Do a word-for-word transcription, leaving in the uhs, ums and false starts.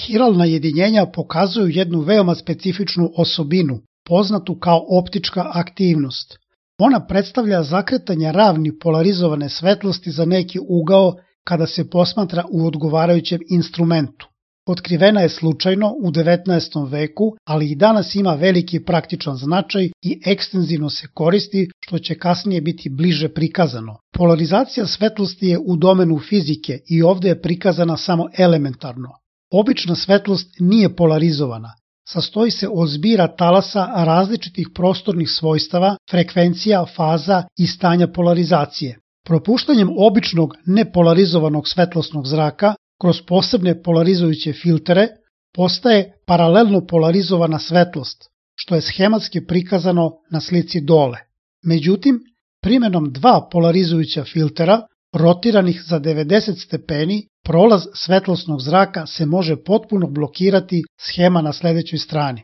Hiralna jedinjenja pokazuju jednu veoma specifičnu osobinu, poznatu kao optička aktivnost. Ona predstavlja zakretanje ravni polarizovane svetlosti za neki ugao kada se posmatra u odgovarajućem instrumentu. Otkrivena je slučajno u devetnaestom veku, ali i danas ima veliki praktičan značaj i ekstenzivno se koristi, što će kasnije biti bliže prikazano. Polarizacija svetlosti je u domenu fizike i ovde je prikazana samo elementarno. Obična svetlost nije polarizovana. Sastoji se od zbira talasa različitih prostornih svojstava, frekvencija, faza i stanja polarizacije. Propuštanjem običnog nepolarizovanog svetlosnog zraka kroz posebne polarizujuće filtere postaje paralelno polarizovana svetlost, što je schematski prikazano na slici dole. Međutim, primjenom dva polarizujuća filtera, rotiranih za devedeset stepeni, prolaz svetlosnog zraka se može potpuno blokirati, schema na sledećoj strani.